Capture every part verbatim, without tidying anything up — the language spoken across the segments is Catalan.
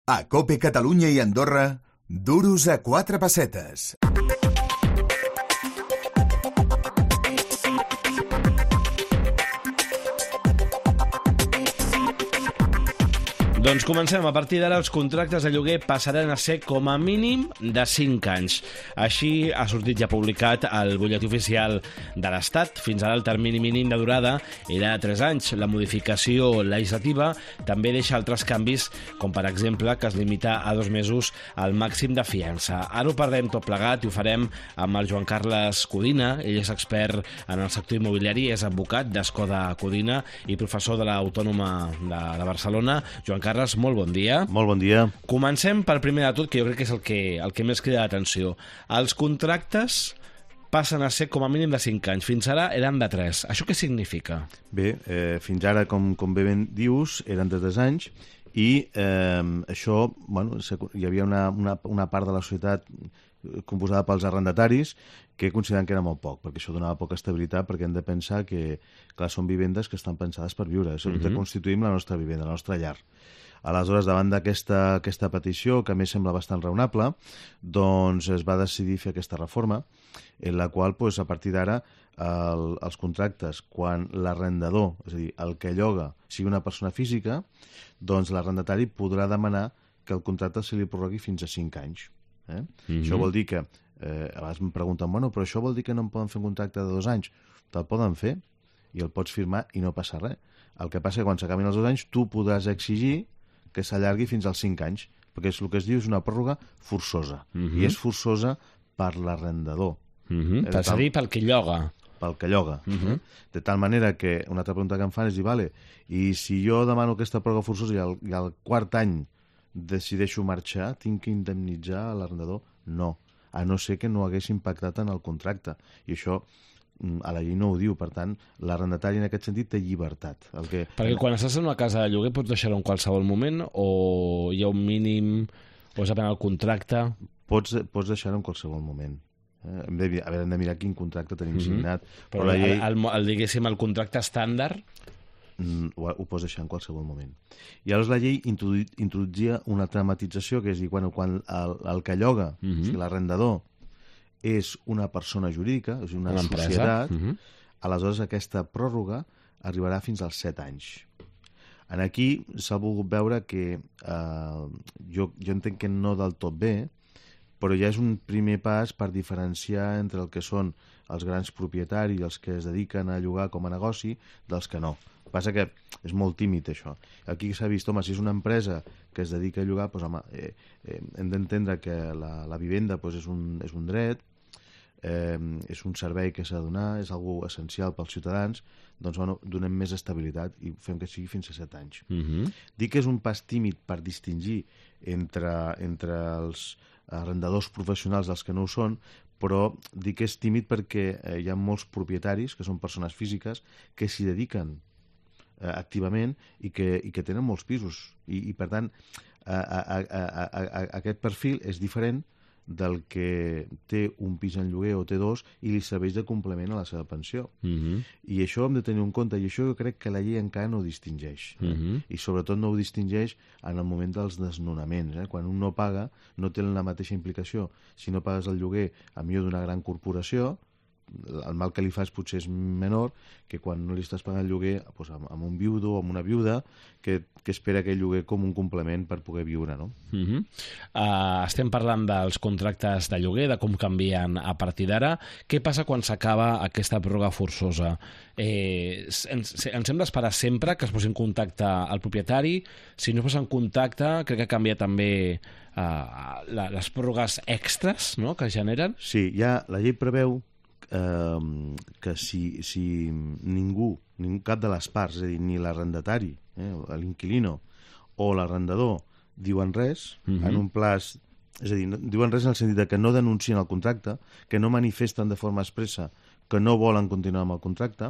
A COPE Catalunya i Andorra, duros a quatre pessetes. Doncs comencem. A partir d'ara els contractes de lloguer passaran a ser com a mínim de cinc anys. Així ha sortit ja publicat al butlletí oficial de l'Estat. Fins ara el termini mínim de durada era de tres anys. La modificació legislativa també deixa altres canvis, com per exemple que es limita a dos mesos al màxim de fiança. Ara ho parlem tot plegat i ho farem amb el Joan Carles Codina. Ell és expert en el sector immobiliari, és advocat d'Escoda Codina i professor de l'Autònoma de, de Barcelona. Joan Carles, molt bon dia. Molt bon dia. Comencem per primer de tot, que jo crec que és el que, el que més crida l'atenció. Els contractes passen a ser com a mínim de cinc anys. Fins ara eren de tres. Això què significa? Bé, eh, fins ara, com, com bé ben dius, eren de tres anys i eh, això, bueno, hi havia una, una, una part de la societat composada pels arrendataris que consideren que era molt poc, perquè això donava poca estabilitat, perquè hem de pensar que, clar, són vivendes que estan pensades per viure. Això mm-hmm. constituïm la nostra vivenda, la nostra llar. Aleshores, davant d'aquesta aquesta petició, que a més sembla bastant raonable, doncs es va decidir fer aquesta reforma, en la qual, doncs, a partir d'ara, el, els contractes, quan l'arrendador, és a dir, el que lloga, sigui una persona física, doncs l'arrendatari podrà demanar que el contracte se li prorrogui fins a cinc anys. Eh? Mm-hmm. Això vol dir que, eh, a vegades em pregunten, bueno, però això vol dir que no en poden fer un contracte de dos anys? Te'l poden fer i el pots firmar i no passa res. El que passa és que quan s'acabin els dos anys tu podràs exigir que s'allargui fins als cinc anys, perquè és el que es diu és una pròrroga forçosa. Mm-hmm. I és forçosa per l'arrendador. Mm-hmm. És a dir, pel que lloga. Pel que lloga. Mm-hmm. De tal manera que una altra pregunta que em fan és dir, vale, i si jo demano aquesta pròrroga forçosa i al, i al quart any decideixo marxar, tinc que indemnitzar l'arrendador? No, a no ser que no hagués impactat en el contracte. I això a la llei no ho diu, per tant, l'arrendatari en aquest sentit té llibertat. El que... Perquè quan estàs en una casa de lloguer pots deixar-ho en qualsevol moment o hi ha un mínim o és depèn del contracte? Pots, pots deixar-ho en qualsevol moment. Eh? Hem de, a veure, hem de mirar quin contracte tenim mm-hmm. signat. Però, però la llei... el, el, el, diguéssim, el contracte estàndard... Mm, ho, ho pots deixar en qualsevol moment. I llavors la llei introdu introduïa una tramatització, que és dir, bueno, quan el, el que lloga, mm-hmm. o sigui, l'arrendador, és una persona jurídica, és una, una societat, uh-huh. aleshores aquesta pròrroga arribarà fins als set anys. En aquí s'ha volgut veure que eh, jo, jo entenc que no del tot bé, però ja és un primer pas per diferenciar entre el que són els grans propietaris, els que es dediquen a llogar com a negoci, dels que no. Passa que és molt tímid, això. Aquí s'ha vist, home, si és una empresa que es dedica a llogar, doncs, home, eh, eh, hem d'entendre que la, la vivenda doncs, és, un, és un dret, eh, és un servei que s'ha de donar, és algo essencial pels ciutadans, doncs, bueno, donem més estabilitat i fem que sigui fins a set anys. Mm-hmm. Dic que és un pas tímid per distingir entre, entre els arrendadors professionals dels que no ho són, però dic que és tímid perquè eh, hi ha molts propietaris, que són persones físiques, que s'hi dediquen activament i que, i que tenen molts pisos i, i per tant a, a, a, a, a, aquest perfil és diferent del que té un pis en lloguer o té dos i li serveix de complement a la seva pensió. Mm-hmm. I això hem de tenir en compte i això jo crec que la llei encara no ho distingeix. Mm-hmm. I sobretot no ho distingeix en el moment dels desnonaments. Eh? Quan un no paga no té la mateixa implicació. Si no pagues el lloguer a millor d'una gran corporació, el mal que li fas potser és menor que quan no li estàs pagant el lloguer doncs, amb, amb un viudo o amb una viuda que, que espera aquell lloguer com un complement per poder viure, no? Uh-huh. uh, estem parlant dels contractes de lloguer, de com canvien a partir d'ara. Què passa quan s'acaba aquesta pròrroga forçosa? Eh, ens, ens hem d'esperar sempre que es posi en contacte el propietari? Si no es posa en contacte, crec que canvia també uh, la, les pròrrogues extres, no?, que generen. Sí, ja la llei preveu Eh, que si, si ningú, ningú, cap de les parts, és a dir, ni l'arrendatari, eh, l'inquilino o l'arrendador diuen res, uh-huh. en un plaç, és a dir, no, diuen res en el sentit de que no denuncien el contracte, que no manifesten de forma expressa que no volen continuar amb el contracte,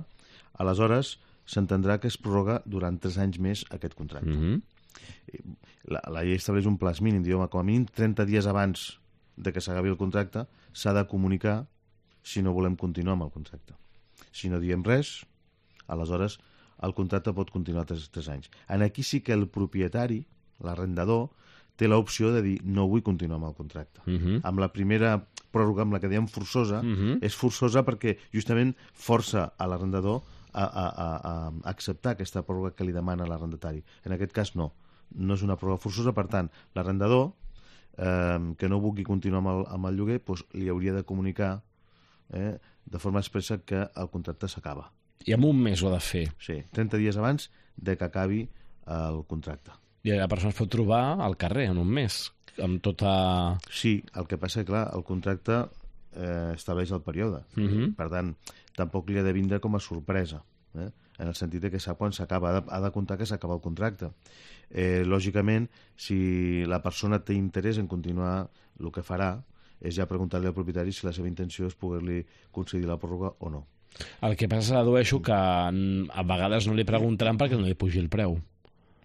aleshores s'entendrà que es prorroga durant tres anys més aquest contracte. Uh-huh. La, la llei estableix un plaç mínim, diu, com a mínim trenta dies abans de que s'acabi el contracte s'ha de comunicar si no volem continuar amb el contracte. Si no diem res, aleshores el contracte pot continuar tres, tres anys. En aquí sí que el propietari, l'arrendador, té l'opció de dir no vull continuar amb el contracte. Uh -huh. Amb la primera pròrroga, amb la que diem forçosa, uh -huh. és forçosa perquè justament força a l'arrendador a, a, a, a acceptar aquesta pròrroga que li demana l'arrendatari. En aquest cas no, no és una pròrroga forçosa, per tant, l'arrendador eh, que no vulgui continuar amb el, amb el lloguer doncs, li hauria de comunicar eh, de forma expressa que el contracte s'acaba. I en un mes ho ha de fer. Sí, trenta dies abans de que acabi el contracte. I la persona es pot trobar al carrer en un mes, amb tota... Sí, el que passa és que, clar, el contracte eh, estableix el període. Uh -huh. Per tant, tampoc li ha de vindre com a sorpresa, eh? En el sentit de que sap quan s'acaba, ha, de, ha de comptar que s'acaba el contracte. Eh, lògicament, si la persona té interès en continuar, el que farà és ja preguntar-li al propietari si la seva intenció és poder-li concedir la pròrroga o no. El que passa és que dedueixo que a vegades no li preguntaran perquè no li pugi el preu.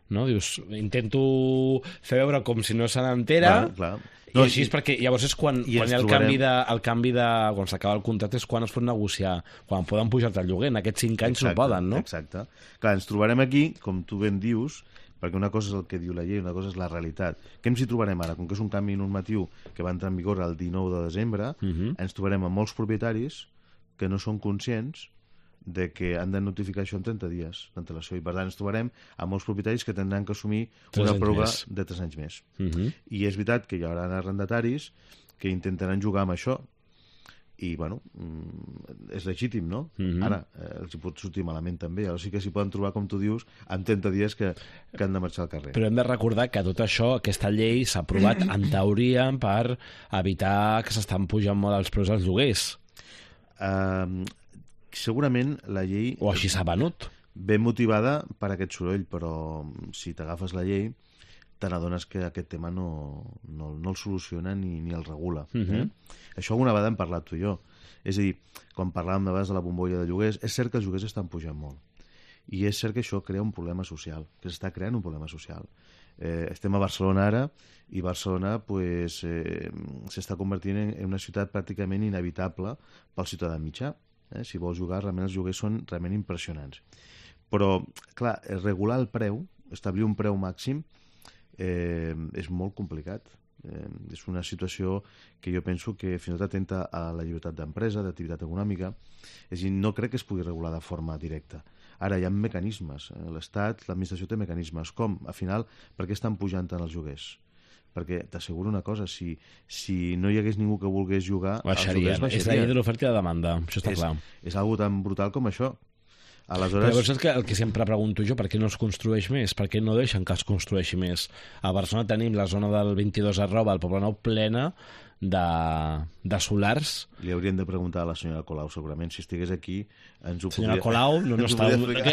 No? Dius, intento fer veure com si no se n'entera, clar, clar. No, i així és perquè llavors és quan, quan hi ha el trobarem... canvi, de, el canvi de... quan s'acaba el contracte és quan es pot negociar, quan poden pujar-te el lloguer. En aquests cinc anys exacte, no poden, no? Exacte. Clar, ens trobarem aquí, com tu ben dius, perquè una cosa és el que diu la llei, una cosa és la realitat. Què ens hi trobarem ara? Com que és un canvi normatiu que va entrar en vigor el dinou de desembre, uh -huh. ens trobarem amb molts propietaris que no són conscients de que han de notificar això en trenta dies d'antelació, i per tant ens trobarem amb molts propietaris que tindran que assumir una pròrroga de tres anys més. Uh -huh. I és veritat que hi haurà arrendataris que intentaran jugar amb això, i bueno, és legítim, no? Uh -huh. Ara, eh, els hi pot sortir malament també, o sigui que s'hi poden trobar, com tu dius, en trenta dies que, que han de marxar al carrer. Però hem de recordar que tot això, aquesta llei s'ha aprovat en teoria per evitar que s'estan pujant molt els preus dels lloguers. Uh, segurament la llei... O així s'ha venut. Ben motivada per aquest soroll, però si t'agafes la llei te n'adones que aquest tema no, no, no el soluciona ni, ni el regula. Uh -huh. eh? Això alguna vegada hem parlat tu i jo. És a dir, quan parlàvem de vegades de la bombolla de lloguers, és cert que els lloguers estan pujant molt. I és cert que això crea un problema social, que s'està creant un problema social. Eh, estem a Barcelona ara, i Barcelona pues, eh, s'està convertint en, en una ciutat pràcticament inevitable pel ciutadà mitjà. Eh? Si vols jugar, realment els lloguers són realment impressionants. Però, clar, regular el preu, establir un preu màxim, eh, és molt complicat. Eh, és una situació que jo penso que fins i tot atenta a la llibertat d'empresa, d'activitat econòmica. És a dir, no crec que es pugui regular de forma directa. Ara hi ha mecanismes. L'Estat, l'administració té mecanismes. Com? Al final, per què estan pujant tant els lloguers? Perquè t'asseguro una cosa, si, si no hi hagués ningú que volgués jugar, baixaria. Els lloguers baixarien. És la llei de l'oferta i la demanda, això està és, clar. És algo tan brutal com això. Aleshores... Però llavors és que el que sempre pregunto jo, per què no es construeix més? Per què no deixen que es construeixi més? A Barcelona tenim la zona del vint-i-dos arroba, al Poblenou, plena de, de solars. Li hauríem de preguntar a la senyora Colau, segurament, si estigués aquí ens ho senyora podria... Colau no, no està...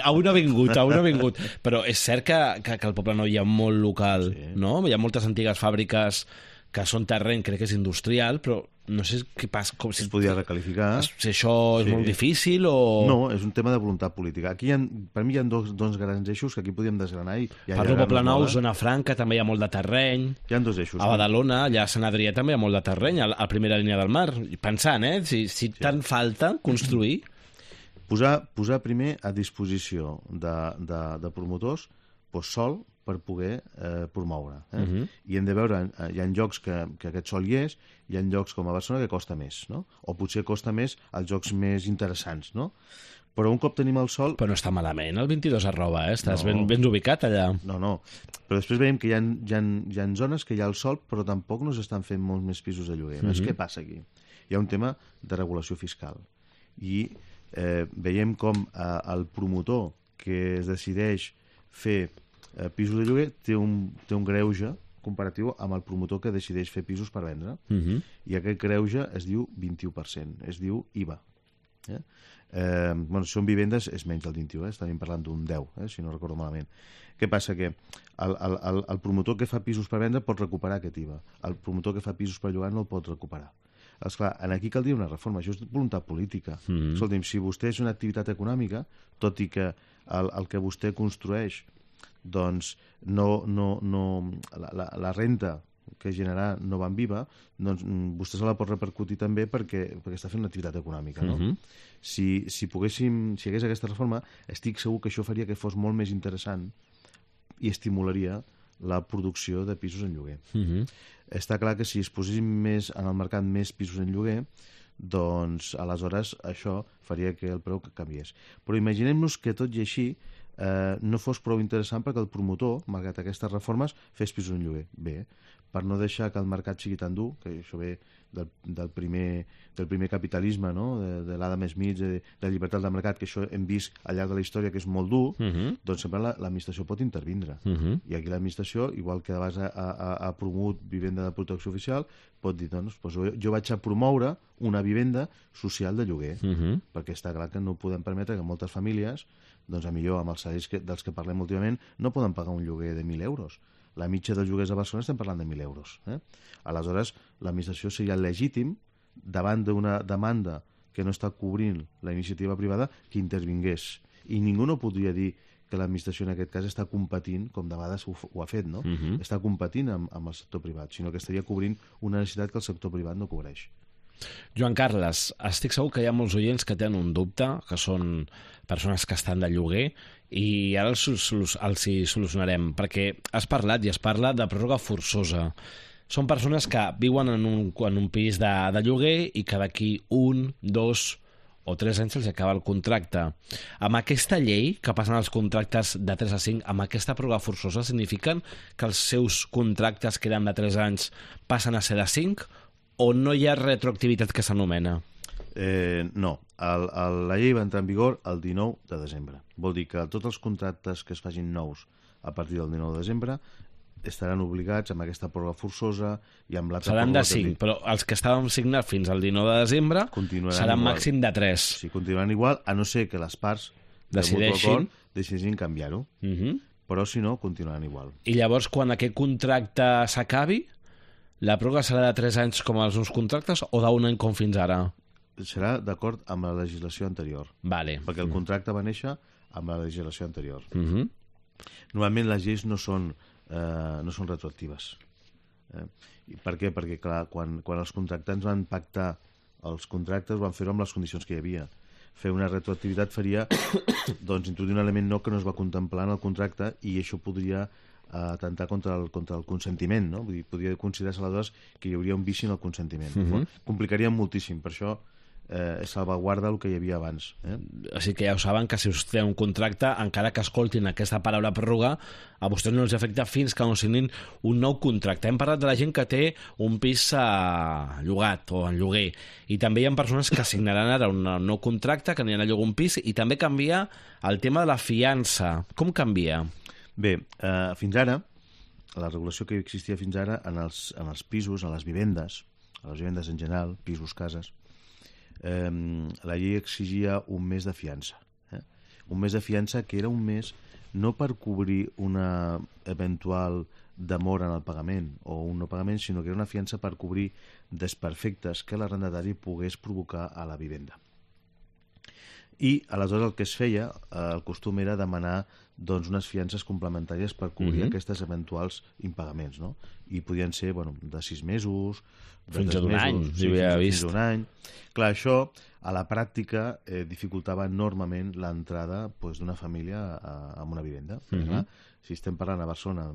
Avui no ha vingut, avui no ha vingut. Però és cert que, que, que al Poblenou hi ha molt local, sí. No? Hi ha moltes antigues fàbriques que són terreny, crec que és industrial, però no sé què passa... Com si es podia recalificar. Si això és sí. molt difícil o... No, és un tema de voluntat política. Aquí, hi ha, per mi, hi ha dos, dos grans eixos que aquí podríem desgranar. I Parlo de Poblenou, zona franca, també hi ha molt de terreny. Hi ha dos eixos. A Badalona, allà a Sant Adrià també hi ha molt de terreny, a la primera línia del mar. Pensant, eh? Si, si sí. tant falta construir... Posar, posar primer a disposició de, de, de promotors doncs, sol per poder eh, promoure. Eh? Uh -huh. I hem de veure, hi ha llocs que, que aquest sol hi és, hi ha llocs com a Barcelona que costa més, no? O potser costa més als jocs més interessants, no? Però un cop tenim el sol... Però no està malament el vint-i-dos arroba, eh? Estàs no. ben, ben ubicat allà. No, no. Però després veiem que hi ha, hi, ha, hi ha zones que hi ha el sol, però tampoc no s'estan fent molts més pisos de lloguer. Uh -huh. Què passa aquí? Hi ha un tema de regulació fiscal. I eh, veiem com eh, el promotor que es decideix fer eh, pisos de lloguer té un, té un greuge comparatiu amb el promotor que decideix fer pisos per vendre. Uh -huh. I aquest greuge es diu vint-i-u per cent, es diu I V A. Eh? Eh, bueno, si són vivendes és menys del vint-i-u, eh? Estaríem parlant d'un deu, eh? Si no recordo malament. Què passa? Que el, el, el promotor que fa pisos per vendre pot recuperar aquest I V A. El promotor que fa pisos per llogar no el pot recuperar. Esclar, aquí caldria una reforma, això és voluntat política. Mm-hmm. Escolti'm, si vostè és una activitat econòmica, tot i que el, el que vostè construeix, doncs no, no, no, la, la, la renta que generarà no va en I V A, doncs vostè se la pot repercutir també perquè, perquè està fent una activitat econòmica, no? Mm-hmm. Si, si poguéssim, si hi hagués aquesta reforma, estic segur que això faria que fos molt més interessant i estimularia la producció de pisos en lloguer. Uh-huh. Està clar que si es posessin més en el mercat més pisos en lloguer, doncs aleshores això faria que el preu canviés. Però imaginem-nos que tot i així eh, no fos prou interessant perquè el promotor, malgrat aquestes reformes, fes pisos en lloguer. Bé, per no deixar que el mercat sigui tan dur, que això ve del, del, primer, del primer capitalisme, no? de, de l'Adam Smith, de, de la llibertat del mercat, que això hem vist al llarg de la història que és molt dur, uh-huh. doncs sempre l'administració pot intervindre. Uh-huh. I aquí l'administració, igual que abans ha, ha, ha promogut vivenda de protecció oficial, pot dir, doncs, doncs jo, jo vaig a promoure una vivenda social de lloguer, uh-huh. perquè està clar que no podem permetre que moltes famílies, doncs a millor amb els salaris que, dels que parlem últimament, no poden pagar un lloguer de mil euros. La mitja dels lloguers a Barcelona estem parlant de mil euros. Eh? Aleshores, l'administració seria legítim, davant d'una demanda que no està cobrint la iniciativa privada, que intervingués. I ningú no podria dir que l'administració en aquest cas està competint, com de vegades ho, ho ha fet, no? Uh-huh. Està competint amb, amb el sector privat, sinó que estaria cobrint una necessitat que el sector privat no cobreix. Joan Carles, estic segur que hi ha molts oients que tenen un dubte, que són persones que estan de lloguer, i ara els, els hi solucionarem, perquè has parlat i es parla de pròrroga forçosa. Són persones que viuen en un, en un pis de, de lloguer i que d'aquí un, dos o tres anys se'ls acaba el contracte. Amb aquesta llei, que passen els contractes de tres a cinc, amb aquesta pròrroga forçosa, signifiquen que els seus contractes que eren de tres anys passen a ser de cinc, o no hi ha retroactivitat que s'anomena? Eh, no. El, el, la llei va entrar en vigor el dinou de desembre. Vol dir que tots els contractes que es facin nous a partir del dinou de desembre estaran obligats amb aquesta pròrroga forçosa i amb l'altra seran de cinc, però els que estàvem signats fins al dinou de desembre seran igual. Màxim de tres. Sí, continuaran igual, a no ser que les parts decideixin, decideixin canviar-ho. Uh-huh. Però si no, continuaran igual. I llavors, quan aquest contracte s'acabi, la pròrroga serà de tres anys com els nous contractes o d'un any com fins ara? Serà d'acord amb la legislació anterior. Vale. Perquè el contracte va néixer amb la legislació anterior. Uh-huh. Normalment les lleis no són, eh, no són retroactives. Eh? I per què? Perquè, clar, quan, quan els contractants van pactar els contractes van fer-ho amb les condicions que hi havia. Fer una retroactivitat faria doncs, introduir un element nou que no es va contemplar en el contracte i això podria atentar contra el, contra el consentiment, no? Vull dir, podria considerar-se aleshores que hi hauria un vici en el consentiment. Uh-huh. Complicaria moltíssim, per això eh, salvaguarda el que hi havia abans. Eh? Així que ja ho saben, que si us té un contracte, encara que escoltin aquesta paraula pròrroga, a vostès no els afecta fins que no signin un nou contracte. Hem parlat de la gent que té un pis a llogat o en lloguer, i també hi ha persones que signaran ara un nou contracte, que aniran a llogar un pis, i també canvia el tema de la fiança. Com canvia? Bé, eh, fins ara, la regulació que existia fins ara en els, en els pisos, en les vivendes, a les vivendes en general, pisos, cases, eh, la llei exigia un mes de fiança. Eh? Un mes de fiança que era un mes no per cobrir una eventual demora en el pagament o un no pagament, sinó que era una fiança per cobrir desperfectes que l'arrendatari pogués provocar a la vivenda. I aleshores el que es feia, eh, el costum era demanar doncs, unes fiances complementàries per cobrir uh-huh. aquestes eventuals impagaments, no? I podien ser bueno, de sis mesos, de fins a un mesos, any, sí, si havia fins, vist. fins a un any. Clar, això a la pràctica eh, dificultava enormement l'entrada pues, d'una família a, a una vivenda. Uh-huh. Clar, si estem parlant a Barcelona,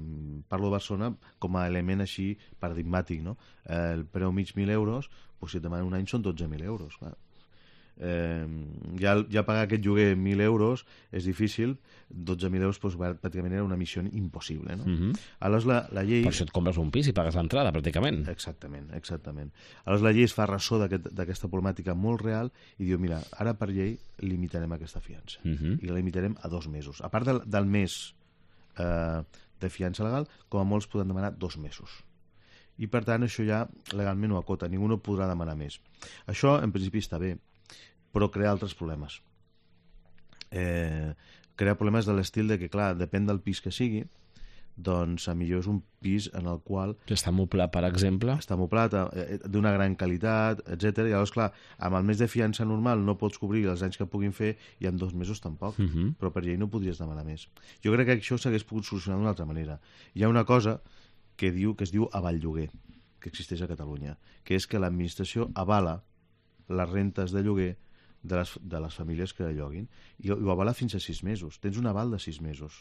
parlo de Barcelona com a element així paradigmàtic, no? Eh, el preu mig mil euros, pues, si et demanen un any són dotze mil euros, clar. Eh, ja, ja pagar aquest lloguer mil euros és difícil, dotze mil euros doncs, pràcticament era una missió impossible, no? Uh-huh. Aleshores la, la llei... Per això et compres un pis i pagues l'entrada, pràcticament. Exactament, exactament. Aleshores la llei es fa ressò d'aquesta aquest, problemàtica molt real i diu, mira, ara per llei limitarem aquesta fiança. Uh-huh. I la limitarem a dos mesos. A part del, del mes eh, de fiança legal, com a molts poden demanar dos mesos. I per tant això ja legalment ho acota, ningú no podrà demanar més. Això en principi està bé, però crea altres problemes. Eh, crea problemes de l'estil de que, clar, depèn del pis que sigui, doncs a millor és un pis en el qual... Està moblat, per exemple. Està moblat, eh, d'una gran qualitat, etcètera. I llavors, clar, amb el mes de fiança normal no pots cobrir els anys que puguin fer i en dos mesos tampoc, uh-huh. però per llei no podries demanar més. Jo crec que això s'hagués pogut solucionar d'una altra manera. Hi ha una cosa que, diu, que es diu avall-lloguer, que existeix a Catalunya, que és que l'administració avala les rentes de lloguer de les, de les famílies que lloguin i ho avala fins a sis mesos. Tens un aval de sis mesos.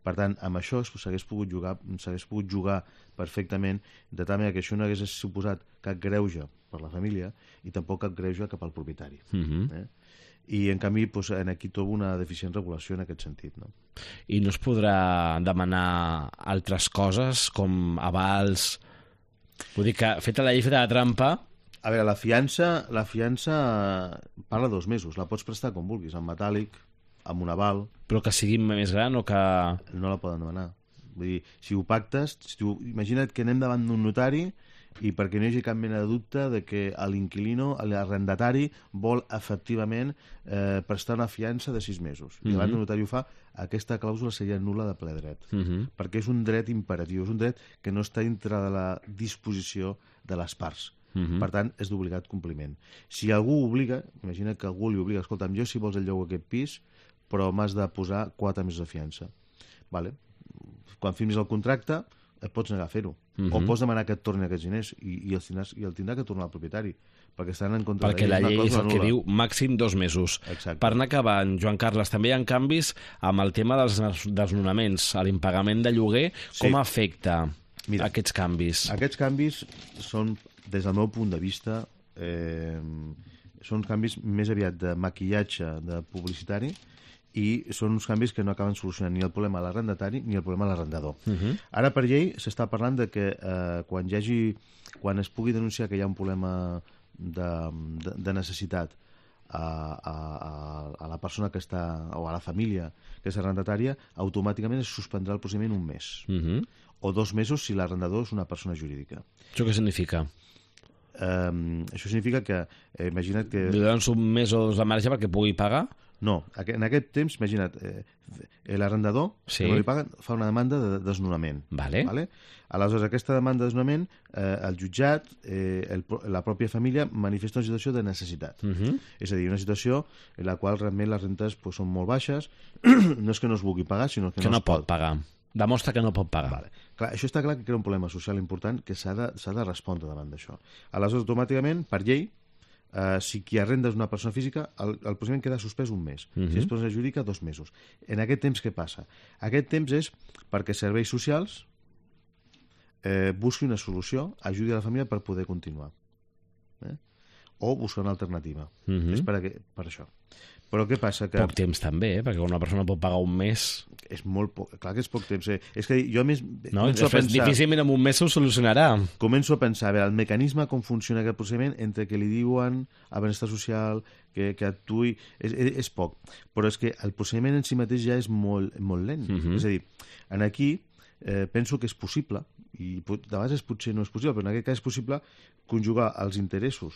Per tant, amb això s'hagués pogut jugar s'hagués pogut jugar perfectament, de tal manera que això no hagués suposat cap greuge per la família i tampoc cap greuge cap al propietari. Uh-huh. eh? I, en canvi, doncs, en aquí trobo una deficient regulació en aquest sentit. No? I no es podrà demanar altres coses, com avals... Vull dir que, feta la llei, feta la trampa... A veure, la fiança, la fiança parla dos mesos, la pots prestar com vulguis, en metàl·lic, amb un aval... Però que sigui més gran o que... No la poden demanar. Vull dir, si ho pactes, si tu, imagina't que anem davant d'un notari i perquè no hi hagi cap mena de dubte de que l'inquilino, l'arrendatari, vol efectivament eh, prestar una fiança de sis mesos. I abans Mhm. el notari ho fa, aquesta clàusula seria nul·la de ple dret. Uh-huh. Perquè és un dret imperatiu, és un dret que no està dintre de la disposició de les parts. Uh-huh. Per tant, és d'obligat compliment. Si algú obliga, imagina que algú li obliga, escolta'm, jo si vols el lloc aquest pis, però m'has de posar quatre mesos de fiança. Vale. Quan firmis el contracte, et pots negar a fer-ho. Mhm. O pots demanar que et torni aquests diners i, i, els tindràs, i el tindrà que tornar al propietari, perquè estan en contra Perquè de la és una llei és clàusula el que nul·la. diu màxim dos mesos. Exacte. Per anar acabant, Joan Carles, també hi ha canvis amb el tema dels des- desnonaments. L'impagament de lloguer, Sí. com afecta Mira, aquests canvis? Aquests canvis són, des del meu punt de vista, eh, són canvis més aviat de maquillatge de publicitari i són uns canvis que no acaben solucionant ni el problema a l'arrendatari ni el problema a l'arrendador. Uh-huh. Ara, per llei, s'està parlant de que eh, quan hi hagi, quan es pugui denunciar que hi ha un problema de, de, de necessitat a, a, a, a la persona que està, o a la família que és arrendatària, automàticament es suspendrà el procediment un mes. Uh-huh. O dos mesos si l'arrendador és una persona jurídica. Això què significa? Um, això significa que, eh, imagina't que... Li donen un mes o dos de marge perquè pugui pagar? No, aqu- en aquest temps, imagina't, eh, l'arrendador, Sí. que no li paguen, fa una demanda de desnonament. Vale. Vale? Aleshores, aquesta demanda de desnonament, eh, el jutjat, eh, el, pro- la pròpia família, manifesta una situació de necessitat. Uh-huh. És a dir, una situació en la qual realment les rentes pues, són molt baixes, no és que no es vulgui pagar, sinó que, Que no es pot pagar. Demostra que no pot pagar. Vale. Clar, això està clar que crea un problema social important que s'ha de, s'ha de respondre davant d'això. Aleshores, automàticament, per llei, eh, si qui arrenda és una persona física, el, el procediment queda suspès un mes. Mhm. Si és persona jurídica, dos mesos. En aquest temps, què passa? Aquest temps és perquè serveis socials eh, busqui una solució, ajudi a la família per poder continuar. Eh? O buscar una alternativa. Mhm. És per, aqu- per això. Però què passa? Que Poc temps també, eh? Perquè una persona pot pagar un mes... és molt poc, clar que és poc temps. Eh? És que jo a més No, començo a després pensar... difícilment en un mes s'ho solucionarà. Començo a pensar, a veure, el mecanisme, com funciona aquest procediment, entre que li diuen a benestar social, que, que actuï, és, és, és poc. Però és que el procediment en si mateix ja és molt, molt lent. Mhm. És a dir, en aquí eh, penso que és possible, i pot, de vegades potser no és possible, però en aquest cas és possible conjugar els interessos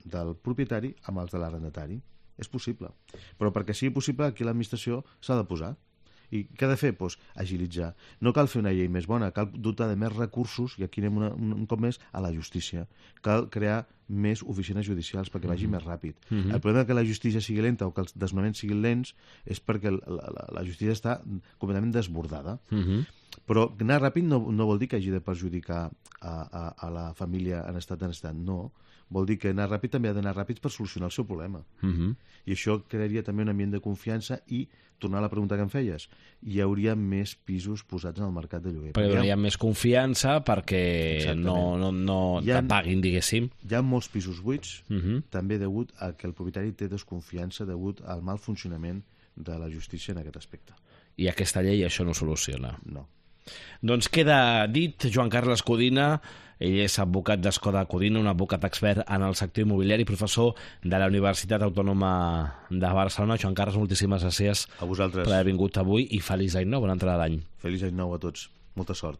del propietari amb els de l'arrendatari. És possible. Però perquè sigui possible, aquí l'administració s'ha de posar. I què ha de fer? Pues, agilitzar. No cal fer una llei més bona, cal dotar de més recursos, i aquí anem una, un, un cop més, a la justícia. Cal crear més oficines judicials perquè vagi més ràpid. Mhm. El problema que la justícia sigui lenta o que els desnonaments siguin lents és perquè la, la, la justícia està completament desbordada. Mhm. Però anar ràpid no, no vol dir que hagi de perjudicar a, a, a la família en estat de necessitat. No. Vol dir que anar ràpid també ha d'anar ràpid per solucionar el seu problema. Mhm. I això crearia també un ambient de confiança i, tornar a la pregunta que em feies, hi hauria més pisos posats en el mercat de lloguer. Perquè Perquè donaria més confiança perquè Exactament. no, no, no Hi ha- te paguin, diguéssim. Hi ha molts pisos buits, Mhm. també degut a que el propietari té desconfiança degut al mal funcionament de la justícia en aquest aspecte. I aquesta llei això no soluciona. No. Doncs queda dit, Joan Carles Codina, ell és advocat d'Escoda Codina, un advocat expert en el sector immobiliari, professor de la Universitat Autònoma de Barcelona. Joan Carles, moltíssimes gràcies A vosaltres. per haver vingut avui i feliç any nou, bona entrada d'any. Feliç any nou a tots. Molta sort.